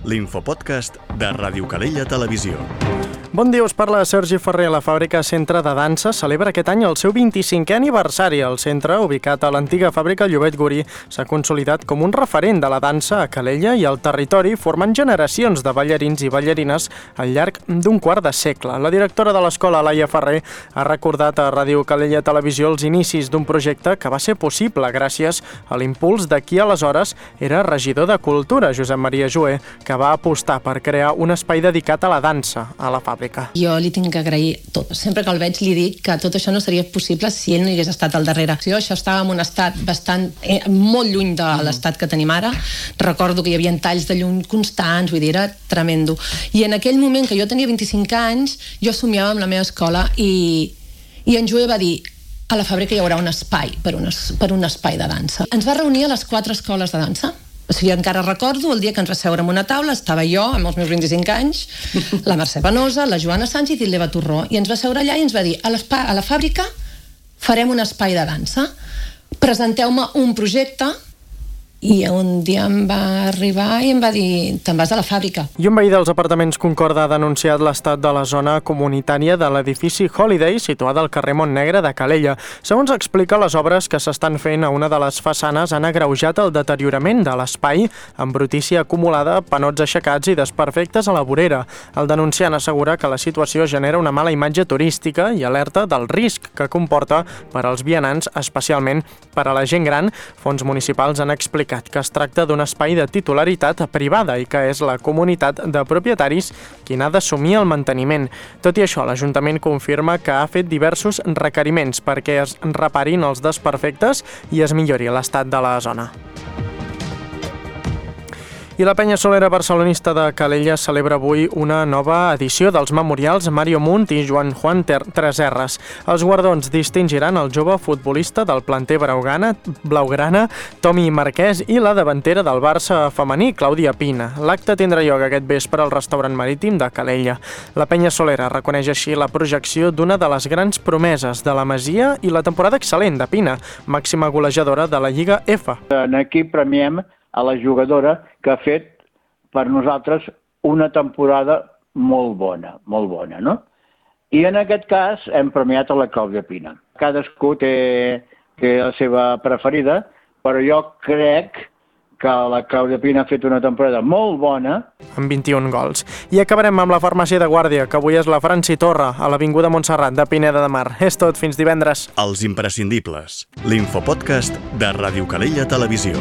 l'infopodcast de Ràdio Calella Televisió. Bon dia, us parla Sergi Ferrer. La fàbrica Centre de Dansa celebra aquest any el seu 25è aniversari. El centre, ubicat a l'antiga fàbrica Llobet Gurí, s'ha consolidat com un referent de la dansa a Calella i al territori, formant generacions de ballarins i ballarines al llarg d'un quart de segle. La directora de l'escola, Laia Ferrer, ha recordat a Ràdio Calella Televisió els inicis d'un projecte que va ser possible gràcies a l'impuls de qui aleshores era regidor de Cultura, Josep Maria Joé, que va apostar per crear un espai dedicat a la dansa a la fàbrica. Jo li tinc que agrair tot. Sempre que el veig li dic que tot això no seria possible si ell no hi hagués estat al darrere. Això estava en un estat molt lluny de l'estat que tenim ara. Recordo que hi havia talls de llum constants, vull dir, era tremendo. I en aquell moment, que jo tenia 25 anys, jo somiava amb la meva escola i en Joé va dir: a la fàbrica hi haurà un espai per un espai de dansa. Ens va reunir a les 4 escoles de dansa. O sigui, encara recordo el dia que ens va seure en una taula, estava jo amb els meus 25 anys, la Mercè Venosa, la Joana Sánchez i l'Eva Torró, i ens va seure allà i ens va dir: a la fàbrica farem un espai de dansa, presenteu-me un projecte. I un dia em va arribar i em va dir: te'n vas a la fàbrica. I un veí dels apartaments Concorda ha denunciat l'estat de la zona comunitària de l'edifici Holiday, situada al carrer Montnegre de Calella. Segons explica, les obres que s'estan fent a una de les façanes han agreujat el deteriorament de l'espai, amb brutícia acumulada, panots aixecats i desperfectes a la vorera. El denunciant assegura que la situació genera una mala imatge turística i alerta del risc que comporta per als vianants, especialment per a la gent gran. Fons municipals han explicat que es tracta d'un espai de titularitat privada i que és la comunitat de propietaris qui n'ha d'assumir el manteniment. Tot i això, l'Ajuntament confirma que ha fet diversos requeriments perquè es reparin els desperfectes i es millori l'estat de la zona. I la penya solera barcelonista de Calella celebra avui una nova edició dels memorials Mario Munt i Joan Juan Treserres. Els guardons distingiran el jove futbolista del planter blaugrana, Tomi Marquès, i la davantera del Barça femení, Clàudia Pina. L'acte tindrà lloc aquest vespre al restaurant marítim de Calella. La penya solera reconeix així la projecció d'una de les grans promeses de la Masia i la temporada excel·lent de Pina, màxima golejadora de la Lliga F. Aquí premiem a la jugadora que ha fet per nosaltres una temporada molt bona, no? I en aquest cas hem premiat a la Clàudia Pina. Cadascú té la seva preferida, però jo crec que la Clàudia Pina ha fet una temporada molt bona. Amb 21 gols. I acabarem amb la farmàcia de Guàrdia, que avui és la Franci Torra, a l'Avinguda Montserrat de Pineda de Mar. És tot, fins divendres. Els imprescindibles. L'infopodcast de Ràdio Calella Televisió.